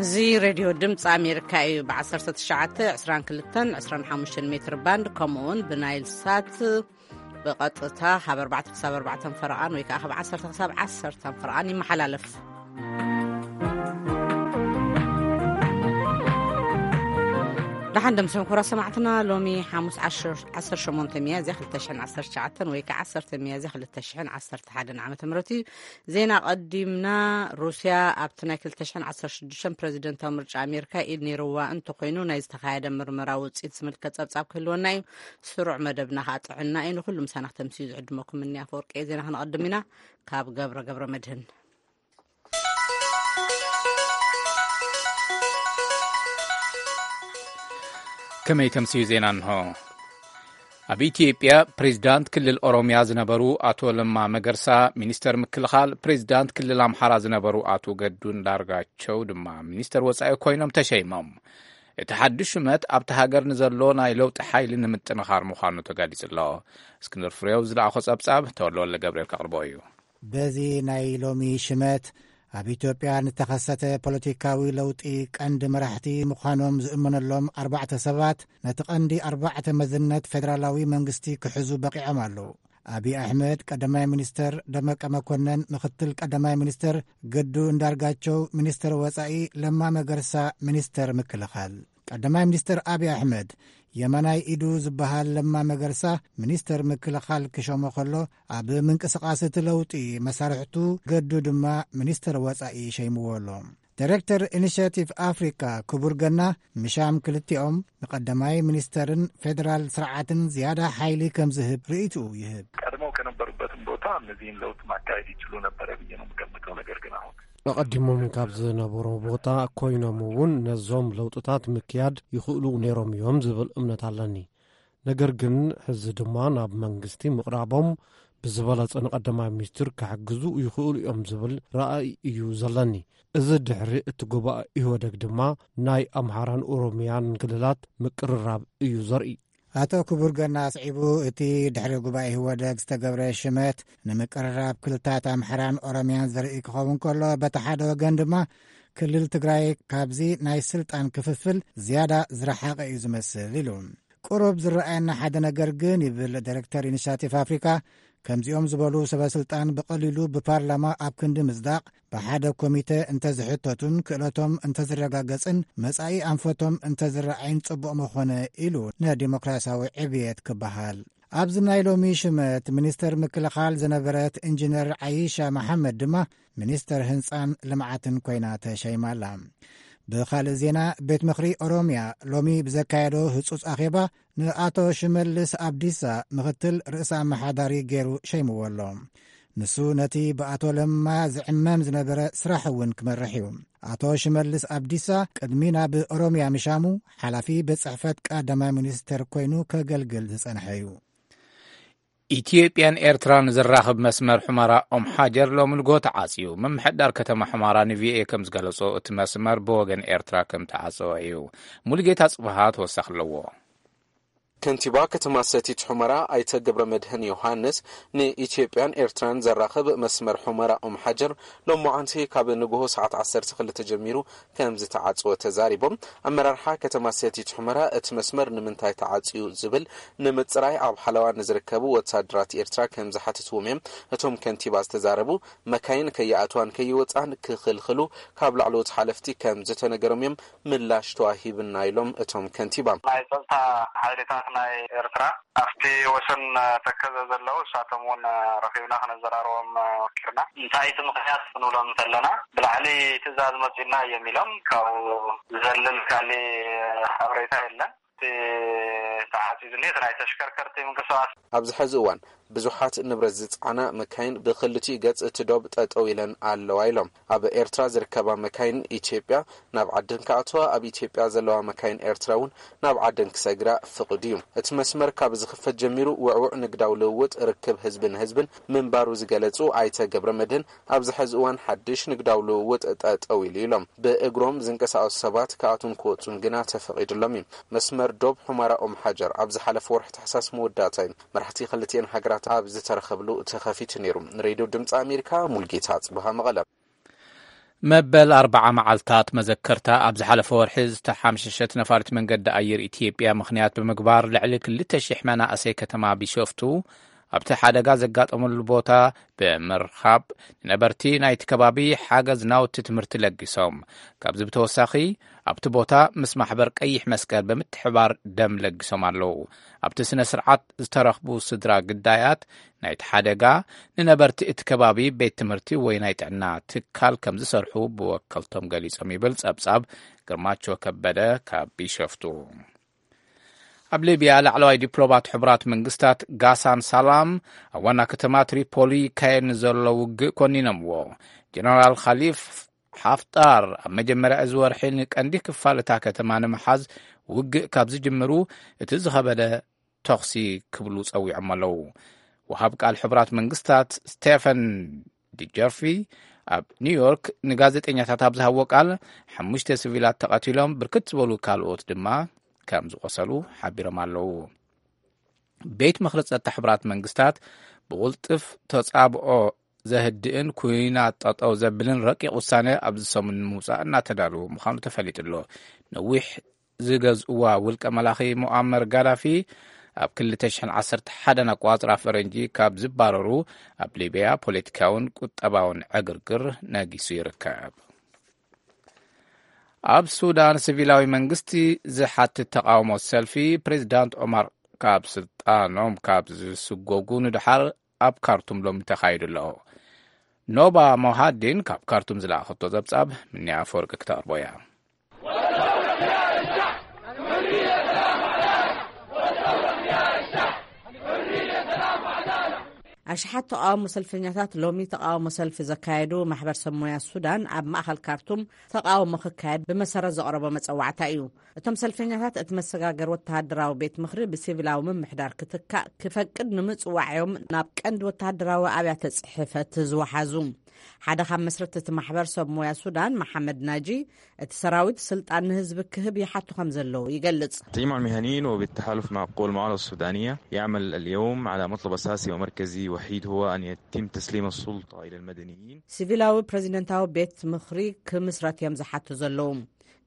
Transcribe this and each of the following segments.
እዚ ሬድዮ ድምፂ ኣሜሪካ እዩ። ብ19፣ 22፣ 25 ሜትር ባንድ፣ ከምኡ እውን ብናይል ሳት ብቐጥታ ካብ ኣርባዕተ ክሳብ ኣርባዕተ ፈረቓን ወይ ከዓ ካብ ዓሰርተ ክሳብ ዓሰርተ ፈረቓን ይመሓላለፍ። ደሓን ደምሰም ክቡራት ሰማዕትና፣ ሎሚ ሓሙስ ዓሰርተ ሸሞንተ ሚያዝያ ክልተ ሽሕን ዓሰርተ ትሽዓተን ወይ ከዓ ዓሰርተ ሚያዝያ ክልተ ሽሕን ዓሰርተ ሓደን ዓመተ ምህረት እዩ። ዜና ቀዲምና። ሩስያ ኣብቲ ናይ ክልተ ሽሕን ዓሰርተ ሽዱሽተን ፕረዚደንታዊ ምርጫ ኣሜሪካ ኢድ ነይርዋ እንተኾይኑ፣ ናይ ዝተኻየደ ምርመራ ውፅኢት ዝምልከት ጸብጻብ ክህልወና እዩ። ስሩዕ መደብና ከዓ ጥዕና እዩ። ንኹሉ ምሳና ክተምስዩ ዝዕድመኩም እኒ ኣፈወርቂ እየ። ዜና ክነቐድም ኢና። ካብ ገብረ ገብረ መድህን። ከመይ ተምስዩ ዜና እንሆ። ኣብ ኢትዮጵያ ፕሬዚዳንት ክልል ኦሮሚያ ዝነበሩ ኣቶ ለማ መገርሳ ሚኒስተር ምክልኻል፣ ፕሬዚዳንት ክልል ኣምሓራ ዝነበሩ ኣቶ ገዱ እንዳርጋቸው ድማ ሚኒስተር ወጻኢ ኮይኖም ተሸይሞም። እቲ ሓድሽ ሹመት ኣብቲ ሃገር ንዘሎ ናይ ለውጢ ሓይሊ ንምጥንኻር ምዃኑ ተጋሊጹ ኣሎ። እስክንድር ፍሬው ዝለኣኾ ጸብጻብ ተወልደ ወልደ ገብርኤል ከቕርቦ እዩ። በዚ ናይ ሎሚ ሽመት ኣብ ኢትዮጵያ ንተኸሰተ ፖለቲካዊ ለውጢ ቀንዲ መራሕቲ ምዃኖም ዝእመነሎም ኣርባዕተ ሰባት ነቲ ቀንዲ ኣርባዕተ መዝነት ፌደራላዊ መንግስቲ ክሕዙ በቂዖም ኣለዉ። ኣብይ ኣሕመድ ቀዳማይ ሚኒስተር፣ ደመቀ መኮነን ምክትል ቀዳማይ ሚኒስተር፣ ገዱ እንዳርጋቸው ሚኒስተር ወጻኢ፣ ለማ መገርሳ ሚኒስተር ምክልኻል። ቀዳማይ ሚኒስተር ኣብይ ኣሕመድ የማናይ ኢዱ ዝበሃል ለማ መገርሳ ሚኒስተር ምክልኻል ክሾሞ ከሎ፣ ኣብ ምንቅስቓስ እቲ ለውጢ መሳርሕቱ ገዱ ድማ ሚኒስተር ወጻኢ ሸይምዎ ኣሎ። ዳይሬክተር ኢኒሽያቲቭ ኣፍሪካ ክቡር ገና፣ ምሻም ክልቲኦም ንቀዳማይ ሚኒስተርን ፌደራል ስርዓትን ዝያዳ ሓይሊ ከም ዝህብ ርእይትኡ ይህብ። ቀድመው ከነበሩበትም ቦታ እነዚህን ለውጥ ማካሄድ ይችሉ ነበረ ብዬ ነው የምገምተው። ነገር ግን አሁን ኣቐዲሞም ካብ ዝነበሩ ቦታ ኮይኖም እውን ነዞም ለውጥታት ምክያድ ይኽእሉ ነይሮም እዮም ዝብል እምነት ኣለኒ። ነገር ግን ሕዚ ድማ ናብ መንግስቲ ምቕራቦም ብዝበለጸ ንቀዳማይ ሚኒስትር ክሕግዙ ይኽእሉ እዮም ዝብል ራእይ እዩ ዘለኒ። እዚ ድሕሪ እቲ ጉባኤ ኢህወደግ ድማ ናይ ኣምሓራን ኦሮሚያን ክልላት ምቅርራብ እዩ ዘርኢ። ኣቶ ክቡር ገና ኣስዒቡ፣ እቲ ድሕሪ ጉባኤ ኢህወደግ ዝተገብረ ሽመት ንምቅርራብ ክልታት ኣምሓራን ኦሮሚያን ዘርኢ ክኸውን ከሎ፣ በቲ ሓደ ወገን ድማ ክልል ትግራይ ካብዚ ናይ ስልጣን ክፍፍል ዝያዳ ዝረሓቐ እዩ ዝመስል ኢሉ። ቁሩብ ዝረኣየና ሓደ ነገር ግን፣ ይብል ዳይሬክተር ኢኒሽያቲቭ ኣፍሪካ፣ ከምዚኦም ዝበሉ ሰበ ስልጣን ብቐሊሉ ብፓርላማ ኣብ ክንዲ ምጽዳቕ፣ ብሓደ ኮሚተ እንተዝሕተቱን ክእለቶም እንተዝረጋገጽን መጻኢ ኣንፈቶም እንተዝረኣይን ጽቡቕ ምኾነ ኢሉ ንዲሞክራሲያዊ ዕብየት ክበሃል። ኣብዚ ናይ ሎሚ ሽመት ሚኒስተር ምክልኻል ዝነበረት ኢንጂነር ዓይሻ መሓመድ ድማ ሚኒስተር ህንጻን ልምዓትን ኮይና ተሸይማ ኣላ። ብኻልእ ዜና፣ ቤት ምኽሪ ኦሮሚያ ሎሚ ብዘካየዶ ህጹጽ ኣኼባ ንኣቶ ሽመልስ ኣብዲሳ ምኽትል ርእሰ ኣመሓዳሪ ገይሩ ሸይምዎ ኣሎ። ንሱ ነቲ ብኣቶ ለማ ዝዕመም ዝነበረ ስራሕ እውን ክመርሕ እዩ። ኣቶ ሽመልስ ኣብዲሳ ቅድሚ ናብ ኦሮሚያ ምሻሙ ሓላፊ ቤት ጽሕፈት ቀዳማይ ሚኒስተር ኮይኑ ከገልግል ዝጸንሐ እዩ። ኢትዮጵያን ኤርትራን ዘራኽብ መስመር ሑመራ ኦም ሓጀር ሎሚ ንግሆ ተዓጽዩ። ምምሕዳር ከተማ ሑመራ ንቪኦኤ ከም ዝገለጾ፣ እቲ መስመር ብወገን ኤርትራ ከም ተዓጸወ እዩ። ሙሉጌታ ጽብሃ ተወሳኺ ኣለዎ። ከንቲባ ከተማ ሰቲት ሑመራ ኣይተ ገብረ መድህን ዮሃንስ፣ ንኢትዮጵያን ኤርትራን ዘራኽብ መስመር ሑመራ ኦም ሓጀር ሎማዓንቲ ካብ ንግሆ ሰዓት ዓሰርተ ክልተ ጀሚሩ ከም ዝተዓጽወ ተዛሪቦም። ኣመራርሓ ከተማ ሰቲት ሑመራ እቲ መስመር ንምንታይ ተዓጽዩ ዝብል ንምጽራይ ኣብ ሓለዋ ንዝርከቡ ወታደራት ኤርትራ ከም ዝሓተትዎም እዮም እቶም ከንቲባ ዝተዛረቡ። መካይን ከይኣትዋን ከይወጻን ክኽልኽሉ ካብ ላዕለዎት ሓለፍቲ ከም ዝተነገሮም እዮም ምላሽ ተዋሂብና ኢሎም እቶም ከንቲባ። ናይ ጸጥታ ሓይልታት ናይ ኤርትራ ኣብቲ ወሰን ተከዘ ዘለዉ፣ እሳቶም እውን ረኺብና ክነዘራርቦም ወኪርና። እንታይ እቲ ምኽንያት ክንብሎም እንተለና፣ ብላዕሊ ትእዛዝ መጺእና እዮም ኢሎም፣ ካብኡ ዝዘልል ካሊእ ሓበሬታ የለን። እቲ ተዓጺዩ ዝኒሀ እቲ ናይ ተሽከርከርቲ ምንቅስቓስ። ኣብዚ ሕዚ እዋን ብዙሓት ንብረት ዝጸዓና መካይን ብኽልቲኡ ገጽ እቲ ዶብ ጠጠው ኢለን ኣለዋ ኢሎም። ኣብ ኤርትራ ዝርከባ መካይን ኢትዮጵያ ናብ ዓደን ክኣትዋ፣ ኣብ ኢትዮጵያ ዘለዋ መካይን ኤርትራ እውን ናብ ዓደን ክሰግራ ፍቑድ እዩ። እቲ መስመር ካብ ዝኽፈት ጀሚሩ ውዕውዕ ንግዳዊ ልውውጥ፣ ርክብ ህዝቢ ንህዝብን ምንባሩ ዝገለጹ ኣይተ ገብረ መድህን፣ ኣብዚ ሕዚ እዋን ሓድሽ ንግዳዊ ልውውጥ ጠጠው ኢሉ ኢሎም። ብእግሮም ዝንቀሳቐሱ ሰባት ክኣትዉን ክወጹን ግና ተፈቒዱሎም እዩ። መስመር ዶብ ሑመራ ኦም ሓጀር ኣብ ዝሓለፈ ወርሒ ታሕሳስ መወዳእታ እዩ መራሕቲ ክልቲኤን ሃገራት ኣብ ዝተረኸብሉ ተኸፊቱ ነይሩ። ንሬድዮ ድምፂ ኣሜሪካ ሙልጌታ ጽብሃ መቐለ። መበል ኣርባዓ መዓልታት መዘከርታ ኣብ ዝሓለፈ ወርሒ ዝተሓምሸሸት ነፋሪት መንገዲ ኣየር ኢትዮጵያ ምኽንያት ብምግባር፣ ልዕሊ ክልተ ሽሕ መናእሰይ ከተማ ቢሾፍቱ ኣብቲ ሓደጋ ዘጋጠመሉ ቦታ ብምርኻብ፣ ንነበርቲ ናይቲ ከባቢ ሓገዝ ናውቲ ትምህርቲ ለጊሶም። ካብዚ ብተወሳኺ፣ ኣብቲ ቦታ ምስ ማሕበር ቀይሕ መስቀል ብምትሕባር ደም ለጊሶም ኣለዉ። ኣብቲ ስነ ስርዓት ዝተረኽቡ ስድራ ግዳያት ናይቲ ሓደጋ፣ ንነበርቲ እቲ ከባቢ ቤት ትምህርቲ ወይ ናይ ጥዕና ትካል ከም ዝሰርሑ ብወከልቶም ገሊጾም ይብል ጸብጻብ ግርማቸው ከበደ ካብ ቢሾፍቱ። ኣብ ሊብያ፣ ላዕለዋይ ዲፕሎማት ሕቡራት መንግስታት ጋሳን ሳላም ኣብ ዋና ከተማ ትሪፖሊ ይካየድ ንዘሎ ውግእ ኮኒኖምዎ። ጀነራል ኻሊፍ ሓፍጣር ኣብ መጀመርያ እዚ ወርሒ ንቀንዲ ክፋል እታ ከተማ ንምሓዝ ውግእ ካብ ዝጅምሩ እቲ ዝኸበደ ተኹሲ ክብሉ ጸዊዖም ኣለዉ። ወሃብ ቃል ሕቡራት መንግስታት ስቴፈን ዲጀርፊ ኣብ ኒውዮርክ ንጋዜጠኛታት ኣብ ዝሃቦ ቃል፣ ሓሙሽተ ሲቪላት ተቐቲሎም፣ ብርክት ዝበሉ ካልኦት ድማ ከም ዝቆሰሉ ሓቢሮም ኣለዉ። ቤት ምኽሪ ጸጥታ ሕቡራት መንግስታት ብቕልጥፍ ተጻብኦ ዘህድእን ኩናት ጠጠው ዘብልን ረቂቕ ውሳነ ኣብዚ ሰሙን ንምውጻእ እናተዳለወ ምዃኑ ተፈሊጡ ኣሎ። ነዊሕ ዝገዝእዋ ውልቀ መላኺ ሙኣመር ጋዳፊ ኣብ ክልተ ሽሕን ዓሰርተ ሓደን ኣቋጽራ ፈረንጂ ካብ ዝባረሩ፣ ኣብ ሊብያ ፖለቲካውን ቁጠባውን ዕግርግር ነጊሱ ይርከብ። ኣብ ሱዳን፣ ሲቪላዊ መንግስቲ ዝሓትት ተቃውሞ ሰልፊ፣ ፕሬዚዳንት ኦማር ካብ ስልጣኖም ካብ ዝስጎጉ ንድሓር ኣብ ካርቱም ሎሚ ተኻይዱ ኣሎ። ኖባ ሞሃዲን ካብ ካርቱም ዝለኣኸቶ ጸብጻብ፣ ምንያ ኣፈወርቂ ክተቕርቦ እያ። ኣሽሓት ተቃውሞ ሰልፈኛታት ሎሚ ተቃውሞ ሰልፊ ዘካየዱ ማሕበር ሰብ ሞያ ሱዳን፣ ኣብ ማእኸል ካርቱም ተቃውሞ ክካየድ ብመሰረት ዘቕረቦ መጸዋዕታ እዩ። እቶም ሰልፈኛታት፣ እቲ መሰጋገር ወተሃደራዊ ቤት ምኽሪ ብሲቪላዊ ምምሕዳር ክትካእ ክፈቅድ ንምጽዋዕ እዮም ናብ ቀንዲ ወተሃደራዊ ኣብያተ ጽሕፈት ዝወሓዙ። ሓደ ካብ መስረቲ እቲ ማሕበር ሰብ ሞያ ሱዳን፣ መሓመድ ናጂ፣ እቲ ሰራዊት ስልጣን ንህዝቢ ክህብ ይሓቱ ከም ዘለዉ ይገልጽ። تجمع المهنيين وبالتحالف مع قوى المعارضة السودانية يعمل اليوم على مطلب أساسي ومركزي وحيد، هو أن يتم تسليم السلطة إلى المدنيين. ሲቪላዊ ፕሬዚደንታዊ ቤት ምኽሪ ክምስረት እዮም ዝሓቱ ዘለዉ፣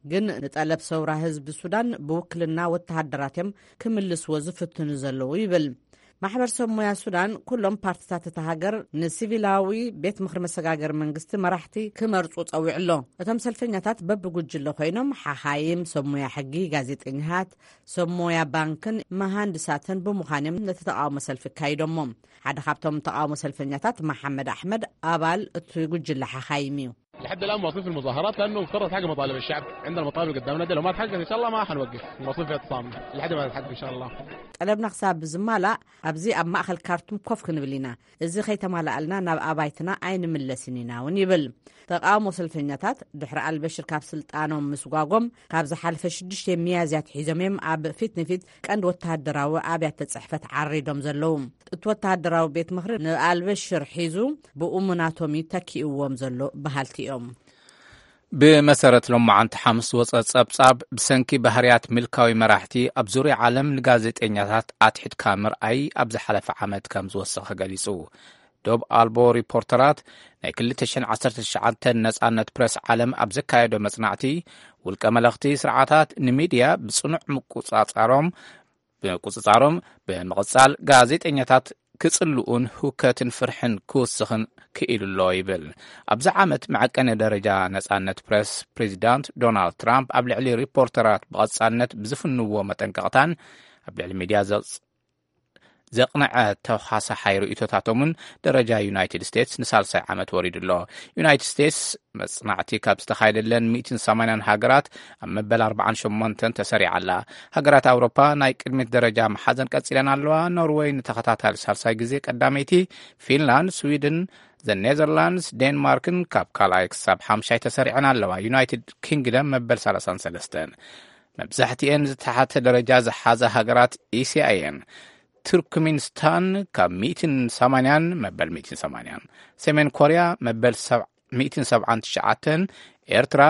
ግን ንጠለብ ሰውራ ህዝቢ ሱዳን ብውክልና ወተሃደራት እዮም ክምልስዎ ዝፍትኑ ዘለዉ ይብል። ማሕበር ሰብ ሞያ ሱዳን፣ ኩሎም ፓርትታት እታ ሃገር ንሲቪላዊ ቤት ምኽሪ መሰጋገሪ መንግስቲ መራሕቲ ክመርጹ ጸዊዑ ኣሎ። እቶም ሰልፈኛታት በብጉጅለ ኮይኖም፣ ሓኻይም፣ ሰብ ሞያ ሕጊ፣ ጋዜጠኛታት፣ ሰብ ሞያ ባንክን መሃንድሳትን ብምዃን እዮም ነቲ ተቃውሞ ሰልፊ ኣካይዶሞ። ሓደ ካብቶም ተቃውሞ ሰልፈኛታት፣ መሓመድ ኣሕመድ፣ ኣባል እቲ ጉጅለ ሓኻይም እዩ። لحد الآن مواصلين في المظاهرات، لأنه مفترض تحقق مطالب الشعب. عندنا مطالب قدامنا، دي لو ما تحققت إن شاء الله ما حنوقف، المواصلين في اعتصام لحد ما تتحقق إن شاء الله. ጠለብና ክሳብ ዝማላእ፣ ኣብዚ ኣብ ማእኸል ካርቱም ኮፍ ክንብል ኢና። እዚ ከይተማላኣልና ናብ ኣባይትና ኣይንምለስን ኢና እውን ይብል። ተቃውሞ ሰልፈኛታት፣ ድሕሪ ኣልበሽር ካብ ስልጣኖም ምስጓጎም፣ ካብ ዝሓለፈ ሽዱሽተ ሚያዝያ ኣትሒዞም እዮም ኣብ ፊት ንፊት ቀንዲ ወተሃደራዊ ኣብያተ ጽሕፈት ዓሪዶም ዘለዉ። እቲ ወተሃደራዊ ቤት ምኽሪ ንኣልበሽር ሒዙ ብእሙናቶም እዩ ተኪእዎም ዘሎ በሃልቲ እዮም። ብመሰረት ሎማዓንቲ ሓሙስ ዝወጸ ጸብጻብ፣ ብሰንኪ ባህርያት ምልካዊ መራሕቲ ኣብ ዙርያ ዓለም ንጋዜጠኛታት ኣትሒትካ ምርኣይ ኣብ ዝሓለፈ ዓመት ከም ዝወሰኸ ገሊጹ። ዶብ ኣልቦ ሪፖርተራት ናይ ክልተ ሽሕን ዓሰርተ ትሽዓተን ነጻነት ፕረስ ዓለም ኣብ ዘካየዶ መጽናዕቲ፣ ውልቀ መለኽቲ ስርዓታት ንሚድያ ብጽኑዕ ምቁጻጻሮም፣ ምቁጽጻሮም ብምቕጻል፣ ጋዜጠኛታት ክጽልኡን ሁከትን ፍርሕን ክውስኽን ክኢሉ ኣሎ ይብል። ኣብዚ ዓመት መዐቀኒ ደረጃ ነጻነት ፕረስ፣ ፕሬዚዳንት ዶናልድ ትራምፕ ኣብ ልዕሊ ሪፖርተራት ብቐጻልነት ብዝፍንዎ መጠንቀቕታን ኣብ ልዕሊ ሚድያ ዘጽ-፣ ዘቕነዐ ተዃሳሓይ ርእይቶታቶምን ደረጃ ዩናይትድ ስቴትስ ንሳልሳይ ዓመት ወሪዱ ኣሎ። ዩናይትድ ስቴትስ መጽናዕቲ ካብ ዝተኻየደለን ሚእትን ሰማንያን ሃገራት ኣብ መበል ኣርባዓን ሸሞንተን ተሰሪዓ ኣላ። ሃገራት ኣውሮፓ ናይ ቅድሚት ደረጃ መሓዘን ቀጺለን ኣለዋ። ኖርወይ ንተኸታታሊ ሳልሳይ ግዜ ቀዳመይቲ፣ ፊንላንድ፣ ስዊድን፣ ዘ ኔዘርላንድስ፣ ዴንማርክን ካብ ካልኣይ ክሳብ ሓምሻይ ተሰሪዐን ኣለዋ። ዩናይትድ ኪንግደም መበል ሰላሳን ሰለስተን። መብዛሕትኤን ዝተሓተ ደረጃ ዝሓዛ ሃገራት ኤስያ እየን። ቱርክሚንስታን ካብ ሚእትን ሰማንያን መበል ሚእትን ሰማንያን፣ ሰሜን ኮርያ መበል ሰብ-፣ ሚእትን ሰብዓን ትሽዓተን፣ ኤርትራ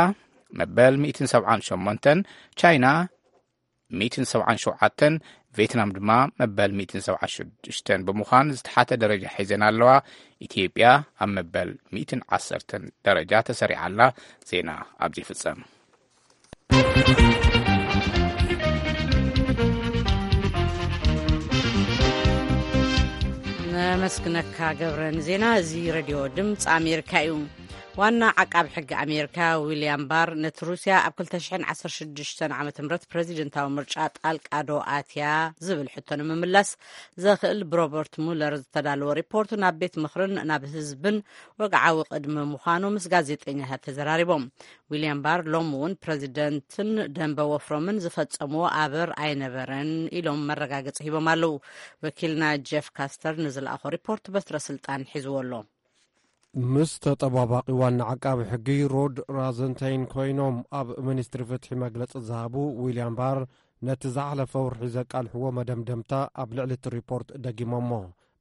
መበል ሚእትን ሰብዓን ሸሞንተን፣ ቻይና ሚእትን ሰብዓን ሸውዓተን፣ ቬትናም ድማ መበል ሚእትን ሰብዓን ሽዱሽተን ብምዃን ዝተሓተ ደረጃ ሒዘን ኣለዋ። ኢትዮጵያ ኣብ መበል ሚእትን ዓሰርተን ደረጃ ተሰሪዓ ኣላ። ዜና ኣብዚ ይፍጸም። ነመስግነካ ገብረ ንዜና። እዚ ሬድዮ ድምፂ ኣሜሪካ እዩ። ዋና ዓቃብ ሕጊ ኣሜሪካ ዊልያም ባር ነቲ ሩስያ ኣብ ክልተ ሽሕን ዓሰርተ ሽዱሽተን ዓመተ ምህረት ፕረዚደንታዊ ምርጫ ጣልቃ ዶ ኣትያ ዝብል ሕቶ ንምምላስ ዘኽእል ብሮበርት ሙለር ዝተዳለወ ሪፖርት ናብ ቤት ምኽርን ናብ ህዝብን ወግዓዊ ቅድሚ ምዃኑ ምስ ጋዜጠኛታት ተዘራሪቦም። ዊልያም ባር ሎሚ እውን ፕረዚደንትን ደንበ ወፍሮምን ዝፈጸምዎ ኣበር ኣይነበረን ኢሎም መረጋገጺ ሂቦም ኣለዉ። ወኪልና ጀፍ ካስተር ንዝለኣኾ ሪፖርት በትረ ስልጣን ሒዝዎ ኣሎ። ምስ ተጠባባቂ ዋና ዓቃቢ ሕጊ ሮድ ራዘንታይን ኮይኖም ኣብ ሚኒስትሪ ፍትሒ መግለጺ ዝሃቡ ዊልያም ባር ነቲ ዝሓለፈ ወርሒ ዘቃልሕዎ መደምደምታ ኣብ ልዕሊ እቲ ሪፖርት ደጊሞሞ።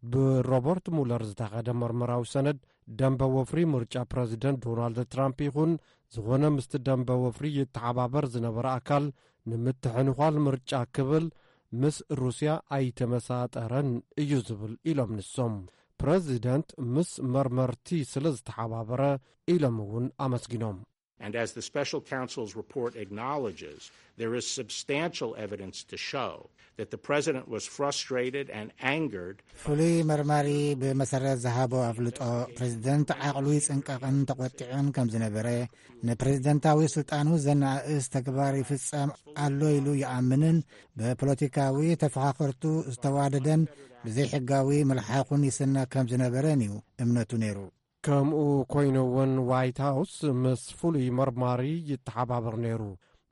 ብሮበርት ሙለር ዝተኸደ መርመራዊ ሰነድ ደንበ ወፍሪ ምርጫ ፕረዚደንት ዶናልድ ትራምፕ ይኹን ዝኾነ ምስቲ ደንበ ወፍሪ ይተሓባበር ዝነበረ ኣካል ንምትሕንዃል ምርጫ ክብል ምስ ሩስያ ኣይተመሳጠረን እዩ ዝብል ኢሎም ንሶም። ፕረዚደንት ምስ መርመርቲ ስለ ዝተሓባበረ ኢሎም እውን ኣመስጊኖም። And as the special counsel's report acknowledges, there is substantial evidence to show that the president was frustrated and angered. ፍሉይ መርማሪ ብመሰረት ዝሃቦ ኣፍልጦ፣ ፕሬዚደንት ዓቕሉ ይጽንቀቕን ተቖጢዑን ከም ዝነበረ፣ ንፕሬዚደንታዊ ስልጣኑ ዘነኣእስ ተግባር ይፍጸም ኣሎ ኢሉ ይኣምንን ብፖለቲካዊ ተፈኻኸርቱ ዝተዋደደን ብዘይሕጋዊ መልሓኹን ይስነ ከም ዝነበረን እዩ እምነቱ ነይሩ። ከምኡ ኮይኑ እውን ዋይት ሃውስ ምስ ፍሉይ መርማሪ ይተሓባበር ነይሩ።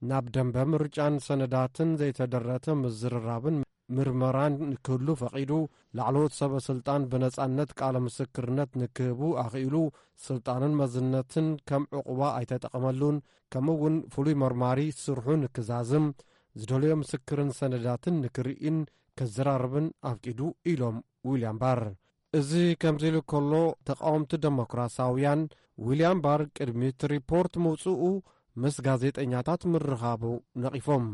ናብ ደንበ ምርጫን ሰነዳትን ዘይተደረተ ምዝርራብን ምርመራን ንክህሉ ፈቒዱ፣ ላዕለዎት ሰበ ስልጣን ብነጻነት ቃለ ምስክርነት ንክህቡ ኣኽኢሉ፣ ስልጣንን መዝነትን ከም ዕቑባ ኣይተጠቐመሉን፣ ከምኡ እውን ፍሉይ መርማሪ ስርሑ ንክዛዝም፣ ዝደለዮ ምስክርን ሰነዳትን ንክርእን ከዘራርብን ኣፍቂዱ ኢሎም ዊልያም ባር። እዚ ከምዚ ኢሉ ከሎ፣ ተቃወምቲ ደሞክራሳውያን ዊልያም ባር ቅድሚ እቲ ሪፖርት ምውጽኡ ምስ ጋዜጠኛታት ምርኻቡ ነቒፎም።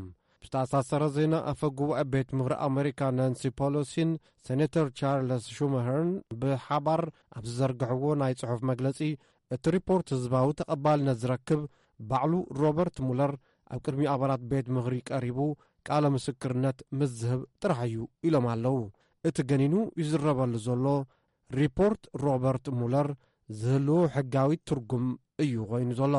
ብዝተኣሳሰረ ዜና፣ ኣፈ ጉባኤ ቤት ምኽሪ ኣሜሪካ ናንሲ ፖሎሲን ሴኔተር ቻርለስ ሹመሀርን ብሓባር ኣብ ዝዘርግሕዎ ናይ ጽሑፍ መግለጺ፣ እቲ ሪፖርት ህዝባዊ ተቐባልነት ዝረክብ ባዕሉ ሮበርት ሙለር ኣብ ቅድሚ ኣባላት ቤት ምኽሪ ቀሪቡ ቃለ ምስክርነት ምስ ዝህብ ጥራሕ እዩ ኢሎም ኣለዉ። እቲ ገኒኑ ይዝረበሉ ዘሎ ሪፖርት ሮበርት ሙለር ዝህልዎ ሕጋዊ ትርጉም እዩ ኮይኑ ዘሎ።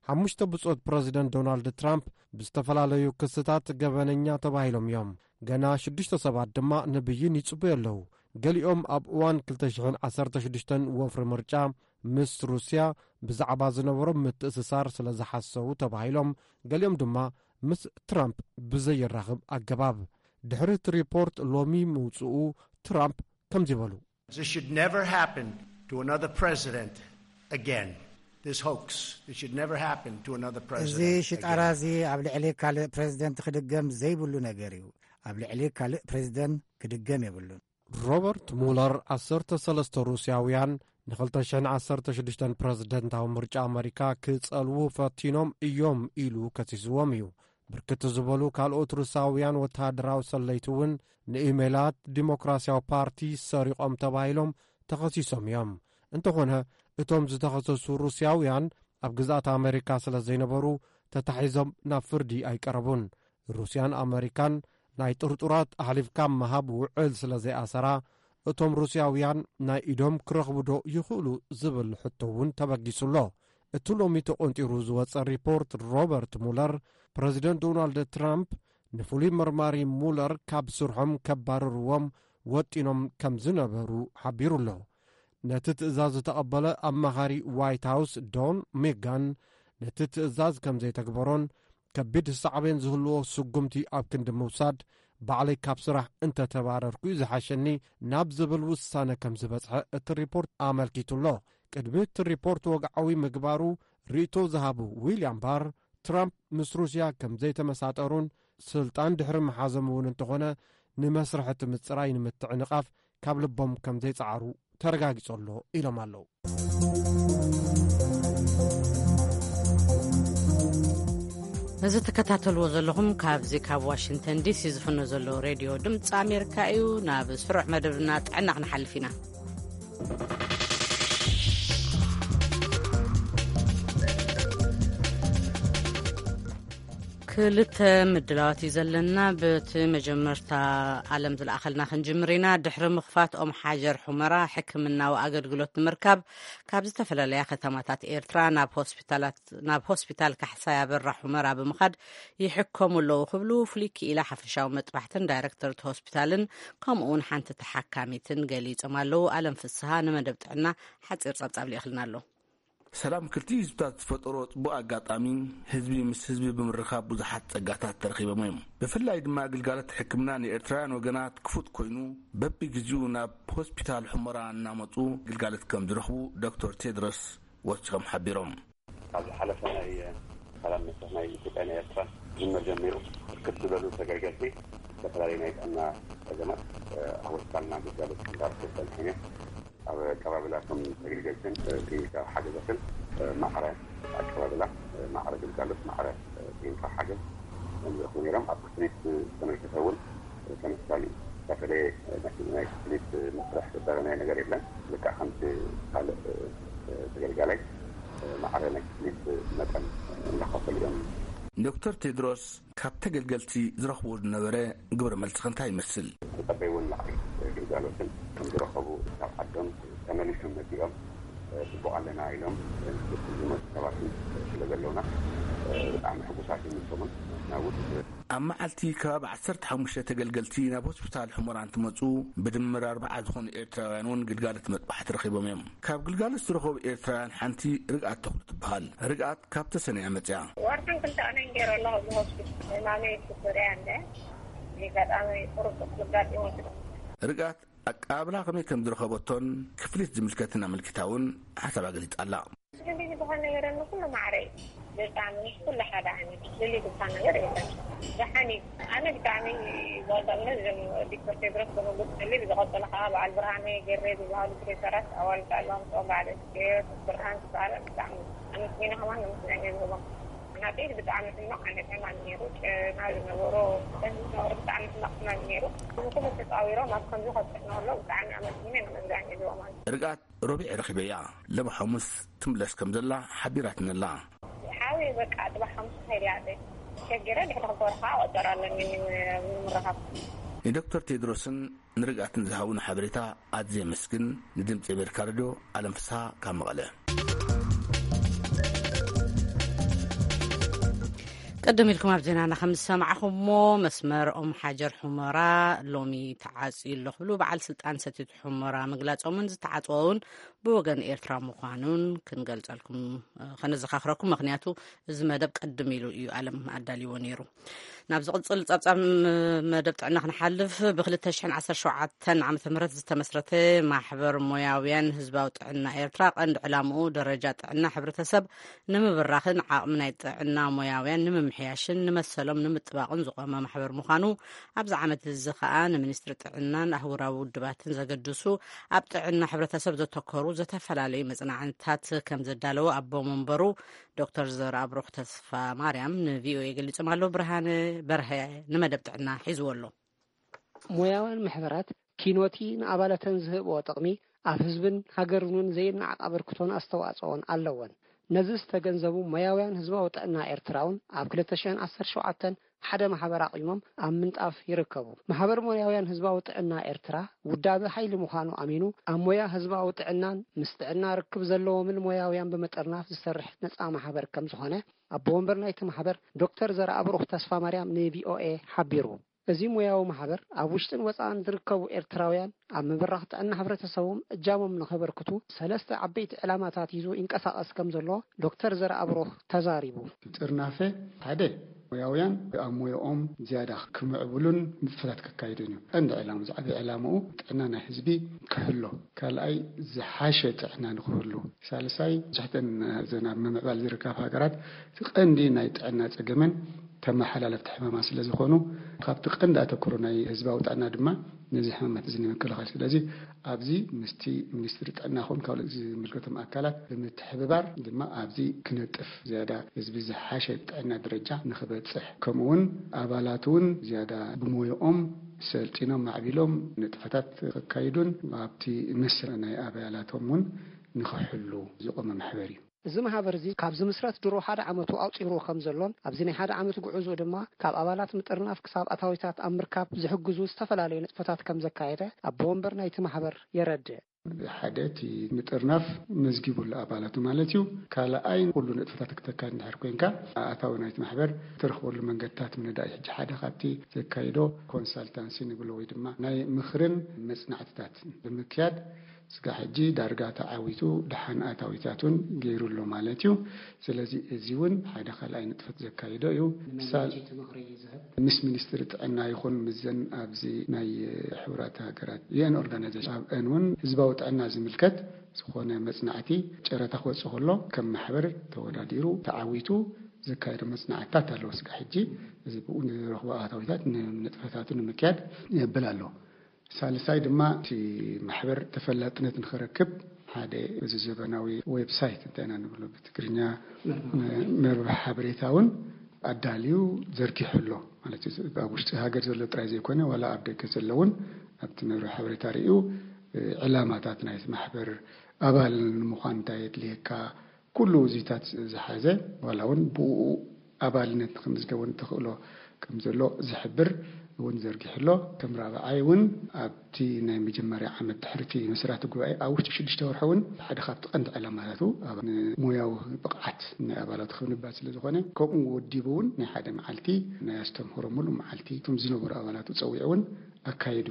ሓሙሽተ ብጾት ፕረዚደንት ዶናልድ ትራምፕ ብዝተፈላለዩ ክስታት ገበነኛ ተባሂሎም እዮም። ገና ሽዱሽተ ሰባት ድማ ንብይን ይጽበዩ ኣለዉ። ገሊኦም ኣብ እዋን ክልተ ሽሕን ዓሰርተ ሽዱሽተን ወፍሪ ምርጫ ምስ ሩስያ ብዛዕባ ዝነበሮም ምትእስሳር ስለ ዝሓሰቡ ተባሂሎም፣ ገሊኦም ድማ ምስ ትራምፕ ብዘየራኽብ ኣገባብ። ድሕሪ እቲ ሪፖርት ሎሚ ምውጽኡ፣ ትራምፕ ከምዚ በሉ። This should never happen to another president again. This hoax, this should never happen to another እዚ president ሽጣራ again. እዚ ኣብ ልዕሊ ካልእ ፕሬዚደንት ክድገም ዘይብሉ ነገር እዩ። ኣብ ልዕሊ ካልእ ፕሬዚደንት ክድገም የብሉን። ሮበርት ሙለር ዓሰርተ ሰለስተ ሩስያውያን ንክልተ ሽሕን ዓሰርተ ሽዱሽተን ፕረዚደንታዊ ምርጫ ኣመሪካ ክጸልዉ ፈቲኖም እዮም ኢሉ ከሲስዎም እዩ። ብርክት ዝበሉ ካልኦት ሩስያውያን ወተሃደራዊ ሰለይቲ እውን ንኢሜላት ዲሞክራሲያዊ ፓርቲ ሰሪቖም ተባሂሎም ተኸሲሶም እዮም። እንተኾነ፣ እቶም ዝተኸሰሱ ሩስያውያን ኣብ ግዝኣት ኣመሪካ ስለ ዘይነበሩ ተታሒዞም ናብ ፍርዲ ኣይቀረቡን። ሩስያን ኣመሪካን ናይ ጥርጡራት ኣሕሊፍካ ምሃብ ውዕል ስለ ዘይኣሰራ፣ እቶም ሩስያውያን ናይ ኢዶም ክረኽቡ ዶ ይኽእሉ ዝብል ሕቶ እውን ተበጊሱ ኣሎ። እቲ ሎሚ ተቖንጢሩ ዝወጸ ሪፖርት ሮበርት ሙለር፣ ፕረዚደንት ዶናልድ ትራምፕ ንፍሉይ መርማሪ ሙለር ካብ ስርሖም ከባርርዎም ወጢኖም ከም ዝነበሩ ሓቢሩ ኣሎ። ነቲ ትእዛዝ ዝተቐበለ ኣማኻሪ ዋይት ሃውስ ዶን ሜጋን፣ ነቲ ትእዛዝ ከም ዘይተግበሮን ከቢድ ሳዕቤን ዝህልዎ ስጉምቲ ኣብ ክንዲ ምውሳድ፣ ባዕለይ ካብ ስራሕ እንተተባረርኩ እዩ ዝሓሸኒ ናብ ዝብል ውሳነ ከም ዝበጽሐ እቲ ሪፖርት ኣመልኪቱ ኣሎ። ቅድሚ እቲ ሪፖርት ወግዓዊ ምግባሩ ርእይቶ ዝሃቡ ዊልያም ባር፣ ትራምፕ ምስ ሩስያ ከም ዘይተመሳጠሩን ስልጣን ድሕሪ ምሓዞም እውን እንተኾነ ንመስርሕ እቲ ምጽራይ ንምትዕንቓፍ ካብ ልቦም ከም ዘይጸዓሩ ተረጋጊጹ ኣሎ ኢሎም ኣለዉ። እዚ ትከታተልዎ ዘለኹም ካብዚ ካብ ዋሽንግተን ዲሲ ዝፍኖ ዘሎ ሬድዮ ድምፂ ኣሜሪካ እዩ። ናብ ስሩዕ መደብና ጥዕና ክንሓልፍ ኢና። ክልተ ምድላዋት እዩ ዘለና። በቲ መጀመርታ ኣለም ዝለኣኸልና ክንጅምር ኢና። ድሕሪ ምኽፋት ኦም ሓጀር ሑመራ ሕክምናዊ ኣገልግሎት ንምርካብ ካብ ዝተፈላለያ ከተማታት ኤርትራ ናብ ሆስፒታላት ናብ ሆስፒታል ካሕሳይ ኣበራ ሑመራ ብምኻድ ይሕከሙ ኣለዉ ክብሉ ፍሉይ ክኢላ ሓፈሻዊ መጥባሕትን ዳይረክተር እቲ ሆስፒታልን ከምኡ እውን ሓንቲ ተሓካሚትን ገሊጾም ኣለዉ። ኣለም ፍስሃ ንመደብ ጥዕና ሓጺር ጸብጻብ ልኢኽልና ኣሎ። ሰላም ክልቲኡ ህዝብታት ዝፈጠሮ ጽቡቕ ኣጋጣሚ፣ ህዝቢ ምስ ህዝቢ ብምርኻብ ብዙሓት ጸጋታት ተረኺቦም እዮም። ብፍላይ ድማ ግልጋሎት ሕክምና ንኤርትራውያን ወገናት ክፉት ኮይኑ፣ በብግዜኡ ናብ ሆስፒታል ሑመራ እናመጹ ግልጋሎት ከም ዝረኽቡ ዶክተር ቴድሮስ ወሲኾም ሓቢሮም። ኣብ ዝሓለፈ ናይ ሰላም መስርሕ ናይ ኢትዮጵያ ናይ ኤርትራ ጅምር ጀሚሩ፣ ብርክት ዝበሉ ተገልገልቲ ዝተፈላለዩ ናይ ጥዕና ጸገማት ኣብ ሆስፒታልና ግልጋሎት እንዳረኽቡ ጸኒሖም እዮም። ኣብ ኣቀባብላ ከም ተገልገልትን ክሊኒካዊ ሓገዛትን ማዕረ ኣቀባብላ፣ ማዕረ ግልጋሎት፣ ማዕረ ክሊኒካዊ ሓገዝ ከም ዝረኽቡ ነይሮም። ኣብ ክፍሊት ዝተመልከተ እውን ተመሳሳሊ ዝተፈለየ ናይ ክፍሊት መስርሕ ዝተረመየ ነገር የለን። ልክዕ ከምቲ ካልእ ተገልጋላይ ማዕረ ናይ ክፍሊት መጠን እንዳኸፈሉ እዮም። ዶክተር ቴድሮስ ካብ ተገልገልቲ ዝረኽብዎ ዝነበረ ግብረ መልሲ ከ እንታይ ይመስል? ተጸበይዎ ንላዕሊ ግልጋሎትን ከም ዝረኸቡ፣ ካብ ዓዶም ተመሊሶም መጺኦም ጽቡቕ ኣለና ኢሎም ዝመጹ ሰባትን ስለ ዘለውና ብጣዕሚ ሕጉሳት እዮም። ንሶምን ናውት ኣብ መዓልቲ ከባቢ ዓሰርተ ሓሙሽተ ተገልገልቲ ናብ ሆስፒታል ሑመራ እንትመጹ፣ ብድምር ኣርባዓ ዝኾኑ ኤርትራውያን እውን ግልጋሎት መጥባሕቲ ረኺቦም እዮም። ካብ ግልጋሎት ዝረኸቡ ኤርትራውያን ሓንቲ ርግኣት ተኽሉ ትበሃል። ርግኣት ካብ ተሰነያ መጽያ። ወርሕን ክልተ ቀነይን ገይረ ኣለኹ ኣብዚ ሆስፒታል። ሕማመይ ሽኮርያ እንደ ኣጋጣሚ ቁሩብ ኣጋጢሙ። ርግኣት ኣቀባብላ ከመይ ከም ዝረኸበቶን ክፍሊት ዝምልከትን ኣመልኪታ እውን ሓሳባ ገሊጻ ኣላ። ስልሊ ዝበሃል ነገር ንኩሉ ማዕረ እዩ። ብጣዕሚ ምስ ኩሉ ሓደ ዓይነት ስልሊ ዝበሃል ነገር የለን። ደሓን እዩ። ኣነ ብጣዕሚ ዝቐጸልነት እዞም ዶክተር ቴድሮስ ዘመጉስ ስልሊ፣ ብዝቐጸለ ከዓ በዓል ብርሃነ ገሬ ዝበሃሉ ፕሮፌሰራት ኣዋልድ ኣለዎም። እቶም በዓል ኣስቴር ብርሃን ዝበሃሉ ብጣዕሚ ኣመስጊነ ከማን ንምስጋና ዝህቦም። ናተይ ብጣዕሚ ሕማቕ ዓይነት ሕማም ነይሩ። ጨና ዝነበሮ፣ ጨና ዝነበሮ ብጣዕሚ ሕማቕ ሕማም ነይሩ። እዚ ኩሉ ተጻዊሮም ኣብ ከምዚ ከብጽሑና ከለዉ ብጣዕሚ ኣመስጊነ ንምስጋና ዝህቦም። ርግኣት ሮቢዕ ረኺበያ። ሎሚ ሓሙስ ትምለስ ከም ዘላ ሓቢራትኒ ኣላ። ሓዊ በቃ ጽባሕ ሓሙስ ክኸይድ እያ ኣደይ። ሸጊረ ድሕሪ ክልተ ወርሒ ከዓ ቆጸራ ኣለኒ ንምርኻብ። ንዶክተር ቴድሮስን ንርግኣትን ዝሃቡና ሓበሬታ ኣዝየ የመስግን። ንድምጺ ኣሜሪካ ሬድዮ ኣለም ፍስሃ ካብ መቐለ። ቅድም ኢልኩም ኣብ ዜናና ከም ዝሰማዕኹሞ፣ መስመር ኦም ሓጀር ሑመራ ሎሚ ተዓጽዩ ኣሎ ክብሉ በዓል ስልጣን ሰቲት ሑመራ ምግላጾምን ዝተዓጽወ እውን ብወገን ኤርትራ ምዃኑን ክንገልጸልኩም፣ እ፣ ከነዘኻኽረኩም። ምኽንያቱ እዚ መደብ ቅድም ኢሉ እዩ ኣለም ኣዳልይዎ ነይሩ። ናብ ዝቕጽል ጸብጻብ መደብ ጥዕና ክንሓልፍ፣ ብ2017 ዓመተ ምህረት ዝተመስረተ ማሕበር ሞያውያን ህዝባዊ ጥዕና ኤርትራ ቀንዲ ዕላምኡ ደረጃ ጥዕና ሕብረተሰብ ንምብራኽን ዓቕሚ ናይ ጥዕና ሞያውያን ንምምሕያሽን ንመሰሎም ንምጥባቕን ዝቖመ ማሕበር ምዃኑ፣ ኣብዚ ዓመት እዚ ኸኣ ንሚኒስትሪ ጥዕናን ኣህጉራዊ ውድባትን ዘገድሱ ኣብ ጥዕና ሕብረተሰብ ዘተኮሩ ዝተፈላለዩ መጽናዕትታት ከም ዘዳለወ ኣቦ መንበሩ ዶክተር ዘርኣብሩኽ ተስፋ ማርያም ንቪኦኤ ገሊጾም ኣለዉ። ብርሃነ በርሀ ንመደብ ጥዕና ሒዝዎ ኣሎ። ሞያውያን ማሕበራት ኪኖቲ ንኣባላተን ዝህብኦ ጥቕሚ ኣብ ህዝብን ሃገርን እውን ዘይነዓቕ ኣበርክቶን ኣስተዋጽኦን ኣለወን። ነዚ ዝተገንዘቡ ሞያውያን ህዝባዊ ጥዕና ኤርትራ እውን ኣብ ክልተ ሽሕን ዓሰርተ ሸውዓተን ሓደ ማሕበር ኣቑሞም ኣብ ምንጣፍ ይርከቡ። ማሕበር ሞያውያን ህዝባዊ ጥዕና ኤርትራ ውዳበ ሓይሊ ምዃኑ ኣሚኑ፣ ኣብ ሞያ ህዝባዊ ጥዕናን ምስ ጥዕና ርክብ ዘለዎምን ሞያውያን ብምጥርናፍ ዝሰርሕ ነጻ ማሕበር ከም ዝኾነ ኣቦ ወንበር ናይቲ ማሕበር ዶክተር ዘርኣብሩኽ ተስፋ ማርያም ንቪኦኤ ሓቢሩ። እዚ ሞያዊ ማሕበር ኣብ ውሽጥን ወጻእን ዝርከቡ ኤርትራውያን ኣብ ምብራኽ ጥዕና ሕብረተሰቦም እጃሞም ንኸበርክቱ ሰለስተ ዓበይቲ ዕላማታት ሒዙ ይንቀሳቐስ ከም ዘሎ ዶክተር ዘርኣብሩኽ ተዛሪቡ። ጥርናፈ ሓደ ሞያውያን ኣብ ሞያኦም ዝያዳ ክምዕብሉን ንጥፈታት ከካይዱን እዩ። ቀንዲ ዕላማ፣ ዝዓበየ ዕላምኡ ጥዕና ናይ ህዝቢ ክሕሎ፣ ካልኣይ ዝሓሸ ጥዕና ንክህሉ፣ ሳልሳይ ትሕተን እዘን ኣብ ምምዕባል ዝርከባ ሃገራት እቲ ቀንዲ ናይ ጥዕና ጸገመን ተመሓላለፍቲ ሕማማት ስለ ዝኾኑ ካብቲ ቀንዲ ኣተኩሮ ናይ ህዝባዊ ጥዕና ድማ ነዚ ሕማማት እዚ ንምክልኻል። ስለዚ ኣብዚ ምስቲ ሚኒስትሪ ጥዕና ኹን ካልኦት ዝምልከቶም ኣካላት ብምትሕብባር ድማ ኣብዚ ክነጥፍ፣ ዝያዳ ህዝቢ ዝሓሸ ጥዕና ደረጃ ንኽበጽሕ፣ ከምኡ እውን ኣባላት እውን ዝያዳ ብሞያኦም ሰልጢኖም ማዕቢሎም ንጥፈታት ከካይዱን ኣብቲ መስርዕ ናይ ኣባላቶም እውን ንኽሕሉ ዝቖመ ማሕበር እዩ። እዚ ማሕበር እዚ ካብ ዝምስረት ድሮ ሓደ ዓመቱ ኣቑጺሩ ከም ዘሎን ኣብዚ ናይ ሓደ ዓመት ጉዕዞ ድማ ካብ ኣባላት ምጥርናፍ ክሳብ ኣታዊታት ኣብ ምርካብ ዝሕግዙ ዝተፈላለዩ ንጥፈታት ከም ዘካየደ ኣቦ ወንበር ናይቲ ማሕበር የረድእ። ሓደ እቲ ምጥርናፍ መዝጊቡ ኣሎ ኣባላቱ ማለት እዩ። ካልኣይ ኩሉ ንጥፈታት ክተካይድ እንድሕር ኮንካ ኣታዊ ናይቲ ማሕበር ትረኽበሉ መንገድታት ምንዳይ። ሕጂ ሓደ ካብቲ ዘካይዶ ኮንሳልታንሲ ንብሎ ወይ ድማ ናይ ምኽርን መጽናዕትታት ብምክያድ ስጋ ሕጂ ዳርጋ ተዓዊቱ ደሓን ኣታዊታት እውን ገይሩ ኣሎ ማለት እዩ። ስለዚ እዚ እውን ሓደ ካልኣይ ንጥፈት ዘካይዶ እዩ። ንመን ሳል- እቲ ምኽሪ ዝህብ? ምስ ሚኒስትሪ ጥዕና ይኹን ምስዘን ኣብዚ ናይ ሕቡራት ሃገራት ዩኤን ኦርጋናይዜሽን ኣብአን እውን ህዝባዊ ጥዕና ዝምልከት ዝኾነ መጽናዕቲ ጨረታ ክወጽእ ከሎ ከም ማሕበር ተወዳዲሩ ተዓዊቱ ዘካየዶ መጽናዕትታት ኣለዎ። ስጋ ሕጂ እዚ ብኡ ንረኽቦ ኣታዊታት ንንጥፈታቱ ንምክያድ የብል ኣሎ። ሳልሳይ ድማ እቲ ማሕበር ተፈላጥነት ንኽረክብ ሓደ እዚ ዘበናዊ ዌብሳይት እንታይ ኢና ንብሎ ብትግርኛ መርበብ ሓበሬታ እውን ኣዳልዩ ዘርጊሑ ኣሎ ማለት እዩ። ኣብ ውሽጢ ሃገር ዘሎ ጥራይ ዘይኮነ ዋላ ኣብ ደገ ዘሎ እውን ኣብቲ መርበብ ሓበሬታ ርእዩ ዕላማታት ናይቲ ማሕበር ኣባል ንምዃን እንታይ የድልየካ ኩሉ እዚታት ዝሓዘ ዋላ እውን ብኡ ኣባልነት ንክምዝገቡ ንተኽእሎ ከም ዘሎ ዝሕብር እውን ዘርጊሑ ኣሎ። ከም ራብዓይ እውን ኣብቲ ናይ መጀመርያ ዓመት ድሕርቲ መስራቲ ጉባኤ ኣብ ውሽጢ ሽዱሽተ ወርሒ እውን ሓደ ካብቲ ቀንዲ ዕላማታቱ ኣብ ሞያዊ ብቕዓት ናይ ኣባላቱ ክንባል ስለ ዝኾነ ከምኡ ወዲቡ እውን ናይ ሓደ መዓልቲ ናይ ኣስተምህሮ ሙሉእ መዓልቲ እቶም ዝነበሩ ኣባላቱ ጸዊዑ እውን ኣካይዱ።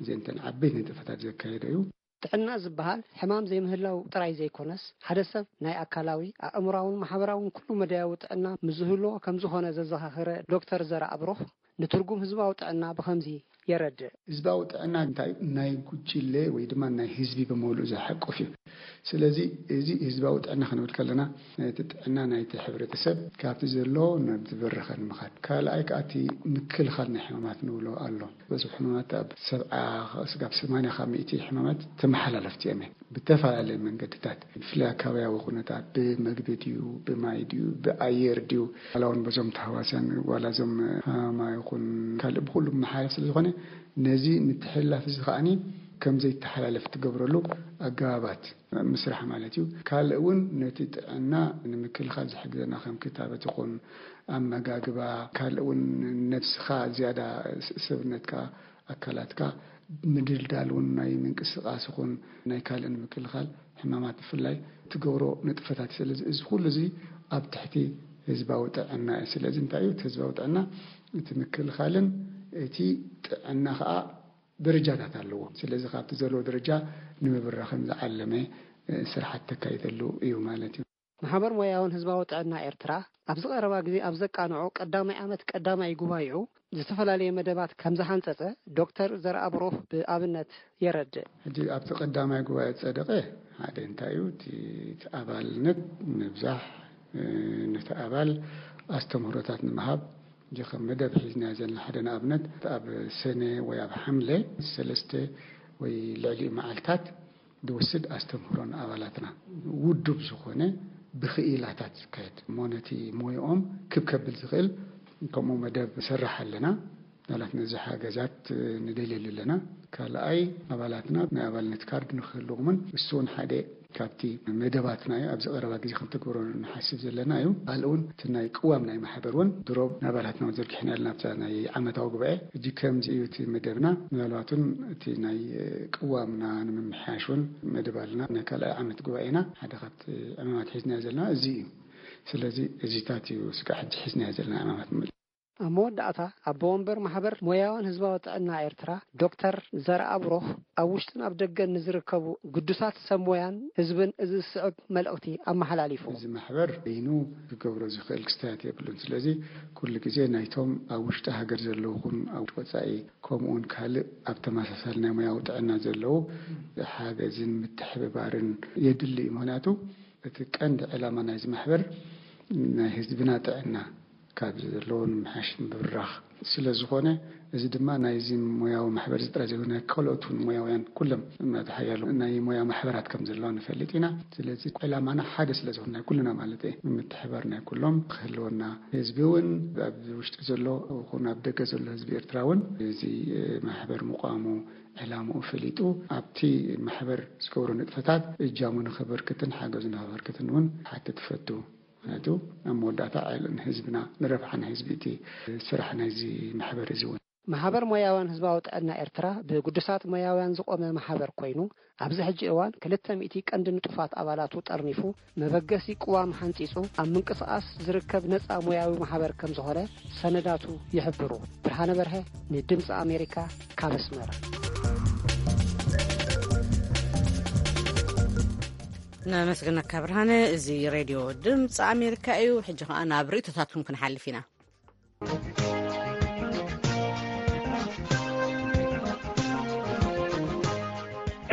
እዚአን እተን ዓበይቲ ንጥፈታት ዘካየደ እዩ። ጥዕና ዝበሃል ሕማም ዘይምህላው ጥራይ ዘይኮነስ ሓደ ሰብ ናይ ኣካላዊ፣ ኣእምራውን ማሕበራውን ኩሉ መዳያዊ ጥዕና ምዝህልዎ ከም ዝኾነ ዘዘኻኸረ ዶክተር ዘርኣብሩኽ ንትርጉም ህዝባዊ ጥዕና ብኸምዚ የረድእ። ህዝባዊ ጥዕና እንታይ ናይ ጉጅለ ወይ ድማ ናይ ህዝቢ ብምሉእ ዝሓቁፍ እዩ። ስለዚ እዚ ህዝባዊ ጥዕና ክንብል ከለና ነቲ ጥዕና ናይቲ ሕብረተሰብ ካብቲ ዘሎ ናብ ዝበረኸ ንምኻድ፣ ካልኣይ ከዓ እቲ ምክልኻል ናይ ሕማማት ንብሎ ኣሎ። በዚ ሕማማት ኣብ ሰብዓ ስጋብ ሰማንያ ካብ ሚእቲ ሕማማት ተመሓላለፍቲ እዮም። ብተፈላለየ መንገድታት ብፍላይ ኣካባቢያዊ ኩነታት ብመግቢ ድዩ ብማይ ድዩ ብኣየር ድዩ ዋላ እውን በዞም ተሃዋስያን ዋላ እዞም ሃማ ይኹን ካልእ ብኩሉ መሓለፍ ስለ ዝኾነ ነዚ ምትሕልላፍ እዚ ከዓኒ ከም ዘይተሓላለፍ ትገብረሉ ኣገባባት ምስራሕ ማለት እዩ። ካልእ እውን ነቲ ጥዕና ንምክልኻል ዝሕግዘና ከም ክታበት ይኹን ኣመጋግባ ካልእ እውን ነብስኻ ዝያዳ ሰብነትካ ኣካላትካ ምድልዳል እውን ናይ ምንቅስቃስ ይኹን ናይ ካልእ ንምክልኻል ሕማማት ብፍላይ ትገብሮ ንጥፈታት እዩ። ስለዚ እዚ ኩሉ እዚ ኣብ ትሕቲ ህዝባዊ ጥዕና እዩ። ስለዚ እንታይ እዩ እቲ ህዝባዊ ጥዕና? እቲ ምክልኻልን እቲ ጥዕና ከዓ ደረጃታት ኣለዎ። ስለዚ ካብቲ ዘለዎ ደረጃ ንምብራኽን ዝዓለመ ስርሓት ተካይደሉ እዩ ማለት እዩ። ማሕበር ሞያውን ህዝባዊ ጥዕና ኤርትራ ኣብዚ ቀረባ ግዜ ኣብ ዘቃንዖ ቀዳማይ ዓመት ቀዳማይ ጉባኤኡ ዝተፈላለየ መደባት ከም ዝሓንጸጸ ዶክተር ዘርኣብሩኽ ብኣብነት የረድእ። ሕጂ ኣብቲ ቀዳማይ ጉባኤ ዝጸደቐ ሓደ እንታይ እዩ እቲ ኣባልነት ምብዛሕ ነቲ ኣባል ኣስተምህሮታት ንምሃብ ከም መደብ ሒዝና ዘለና ሓደ ንኣብነት ኣብ ሰነ ወይ ኣብ ሓምለ ሰለስተ ወይ ልዕሊኡ መዓልታት ዝወስድ ኣስተምህሮ ንኣባላትና ውዱብ ዝኾነ ብኽኢላታት ዝካየድ እሞ ነቲ ሞይኦም ክብ ከብል ዝኽእል ከምኡ መደብ ንሰርሕ ኣለና። ኣባላት ነዚ ሓገዛት ንደልየሉ ኣለና። ካልኣይ ኣባላትና ናይ ኣባልነት ካርድ ንክህልዎምን እሱ እውን ሓደ ካብቲ መደባትና እዩ። ኣብዚ ቀረባ ግዜ ክንተግብሮ ንሓስብ ዘለና እዩ። ካልእ እውን እቲ ናይ ቅዋም ናይ ማሕበር እውን ድሮ ንኣባላትና እውን ዘርጊሕና ኣለና ኣብታ ናይ ዓመታዊ ጉባኤ። ሕጂ ከምዚ እዩ እቲ መደብና። ምናልባት እውን እቲ ናይ ቅዋምና ንምምሕያሽ እውን መደብ ኣለና። ናይ ካልኣይ ዓመት ጉባኤና ሓደ ካብቲ ዕማማት ሒዝናዮ ዘለና እዚ እዩ። ስለዚ እዚታት እዩ ስጋዕ ሕጂ ሒዝናዮ ዘለና ዕማማት። ኣብ መወዳእታ ኣቦ ወንበር ማሕበር ሞያውን ህዝባዊ ጥዕና ኤርትራ ዶክተር ዘርኣብሩኽ ኣብ ውሽጥን ኣብ ደገን ንዝርከቡ ግዱሳት ሰብ ሞያን ህዝብን እዚ ዝስዕብ መልእኽቲ ኣመሓላሊፉ። እዚ ማሕበር በይኑ ክገብሮ ዝኽእል ክስተያት የብሉን። ስለዚ ኩሉ ግዜ ናይቶም ኣብ ውሽጢ ሃገር ዘለዉ ኹን ኣብ ወጻኢ ከምኡውን ካልእ ኣብ ተመሳሳሊ ናይ ሞያዊ ጥዕና ዘለዉ ሓገዝን ምትሕብባርን የድሊ እዩ። ምኽንያቱ እቲ ቀንዲ ዕላማ ናይዚ ማሕበር ናይ ህዝብና ጥዕና ካብ ዘለዎ ንምሓሽ ምብራኽ ስለ ዝኾነ፣ እዚ ድማ ናይዚ ሞያዊ ማሕበር እዚ ጥራይ ዘይኮነ፣ ናይ ካልኦት እውን ሞያውያን ኩሎም፣ ምኽንያቱ ሓያሎ ናይ ሞያ ማሕበራት ከም ዘለዋ ንፈልጥ ኢና። ስለዚ ዕላማና ሓደ ስለ ዝኾነ፣ ናይ ኩልና ማለት እየ፣ ምትሕባር ናይ ኩሎም ክህልወና፣ ህዝቢ እውን ኣብ ውሽጢ ዘሎ ይኹን ኣብ ደገ ዘሎ ህዝቢ ኤርትራ እውን እዚ ማሕበር ምቋሙ ዕላምኡ ፈሊጡ ኣብቲ ማሕበር ዝገብሮ ንጥፈታት እጃሙ ንኸበርክትን ሓገዙ ንኸበርክትን እውን ሓትት ፈቱ። ምኽንያቱ ኣብ መወዳእታ ዕል-፣ ንህዝብና፣ ንረብሓ ናይ ህዝቢ እቲ ስራሕ ናይዚ ማሕበር እዚ እውን። ማሕበር ሞያውያን ህዝባዊ ጥዕና ኤርትራ ብግዱሳት ሞያውያን ዝቖመ ማሕበር ኮይኑ፣ ኣብዚ ሕጂ እዋን ክልተ ሚእቲ ቀንዲ ንጡፋት ኣባላቱ ጠርኒፉ፣ መበገሲ ቅዋም ሓንጺጹ ኣብ ምንቅስቓስ ዝርከብ ነጻ ሞያዊ ማሕበር ከም ዝኾነ ሰነዳቱ ይሕብሩ። ብርሃነ በርሀ ንድምጺ ኣሜሪካ ካብ ኣስመራ። ነመስግነካ ብርሃነ። እዚ ሬድዮ ድምፂ ኣሜሪካ እዩ። ሕጂ ከኣ ናብ ርእይቶታትኩም ክንሓልፍ ኢና።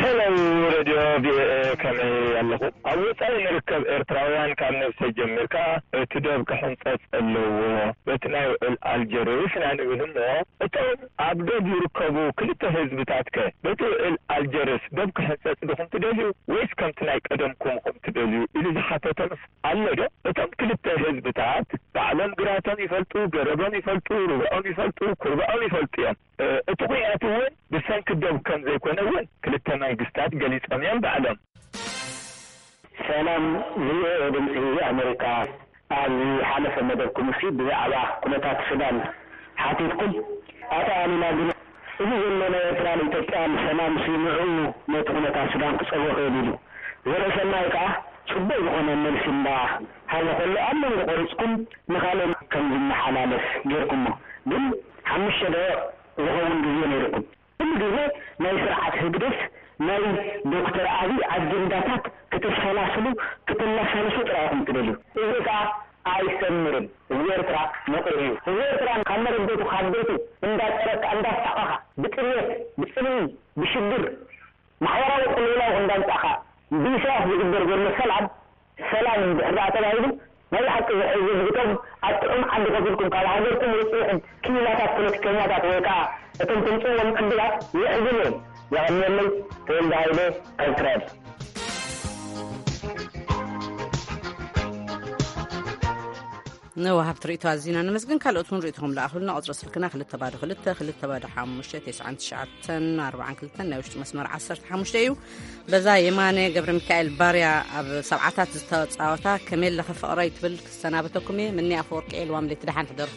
ሄሎ፣ ሬድዮ ቪኦኤ፣ ከመይ ኣለኹ? ኣብ ወጻኢ ንርከብ ኤርትራውያን ካብ ነብሰ ጀሚርካ እቲ ዶብ ክሕንጸጽ ኣለዎ። በቲ ናይ ውዕል ኣልጀርስ ኢና ንብል እሞ፣ እቶም ኣብ ዶብ ዝርከቡ ክልተ ህዝብታት ከ በቲ ውዕል ኣልጀርስ ዶብ ክሕንጸጽ ድኹም ትደልዩ ወይስ ከምቲ ናይ ቀደምኩም ኢኹም ትደልዩ? ኢሉ ዝሓተተ ምስ ኣሎ ዶ? እቶም ክልተ ህዝብታት ባዕሎም ግራቶም ይፈልጡ፣ ገረቦም ይፈልጡ፣ ሩብዖም ይፈልጡ፣ ኩርብዖም ይፈልጡ እዮም። እ፣ እቲ ኲናት እውን ብሰንኪ ዶብ ከም ዘይኮነ እውን ክልተ መንግስታት ገሊጾም እዮም ባዕሎም። ሰላም ቪኦኤ ድምፂ ኣሜሪካ፣ ኣብ ዝሓለፈ መደብኩም ሲ ብዛዕባ ኩነታት ሱዳን ሓቲትኩም። ኣቶ ኣሉላ ግን እዚ ዘሎ ናይ ኤርትራን ኢትዮጵያን ሰላም ሲ ንዕኡ ነቲ ኩነታት ሱዳን ክፀልዎ ክእል ኢሉ። ዘርእሰናይ ከዓ ፅቡቅ ዝኾነ መልሲ እንዳ ሃበ ከሎ ኣብ መንጎ ቆሪፅኩም ንካልእ ከም ዝመሓላለፍ ጌርኩሞ። ግን ሓሙሽተ ደቂቅ ዝኸውን ግዜ ነይርኩም። ኩሉ ግዜ ናይ ስርዓት ህግደፍ ናይ ዶክተር ኣብይ ኣጀንዳታት ክተሰላስሉ ክተመሳልሱ ጥራይ ኢኹም ትደልዩ። እዚ ከኣ ኣይሰምርን። ህዝቢ ኤርትራ ነቒሩ እዩ። ህዝቢ ኤርትራ ካብ መረበቱ ካብ ቤቱ እንዳጸረካ እንዳሳቐኻ ብጥሜት ብጽልኢ ብሽግር ማሕበራዊ ቅልውላው እንዳምጻእካ ብኢሳያስ ዝግበር ዘሎ ሰላም ሰላም እንድሕር ደኣ ተባሂሉ ናይ ብሓቂ ዝሕዝን እቶም ኣብ ጥዑም ዓዲ ከፊልኩም ካብ ሃገርኩም ወጺእኹም ክኢላታት ፖለቲከኛታት ወይ ከኣ እቶም ተምጽእዎም ዕድላት የሕዝን እዮም። የቐንየለይ። ተወልደ ሃይለ ካብ እስራኤል። ንወሃብቲ ርእይቶ ኣዚና ነመስግን። ካልኦት እውን ርእይቶኹም ለኣኹልና። ቁጽሪ ስልክና ክልተ ባዶ ክልተ ክልተ ባዶ ሓሙሽተ ተስዓን ትሽዓተን ኣርባዓን ክልተን ናይ ውሽጢ መስመር ዓሰርተ ሓሙሽተ እዩ። በዛ የማነ ገብረ ሚካኤል ባርያ ኣብ ሰብዓታት ዝተጻወታ ከመይ ኣለኺ ፍቕረይ ትብል ክሰናበተኩም እየ። ምኒ ኣፈወርቂ ኤልዋም ለይቲ ደሓን ሕደሩ።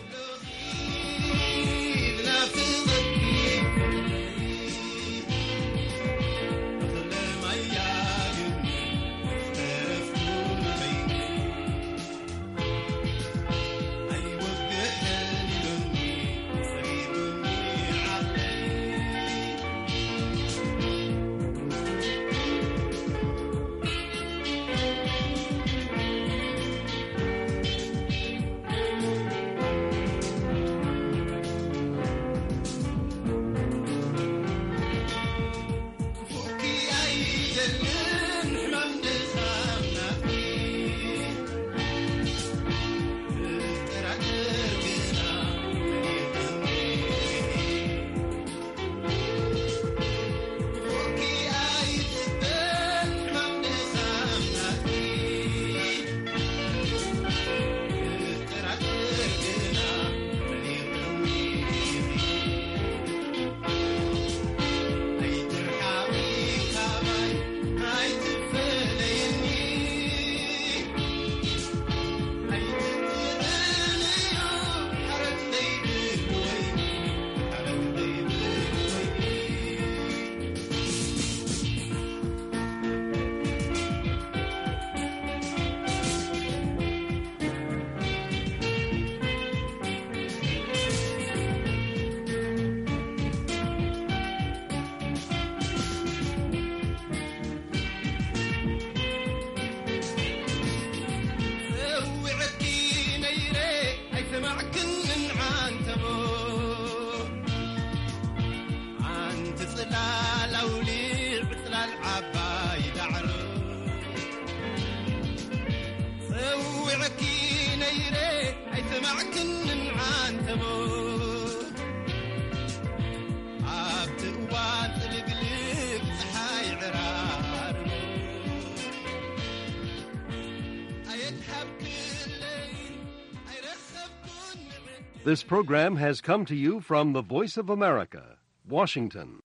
This program has come to you from the Voice of America, Washington.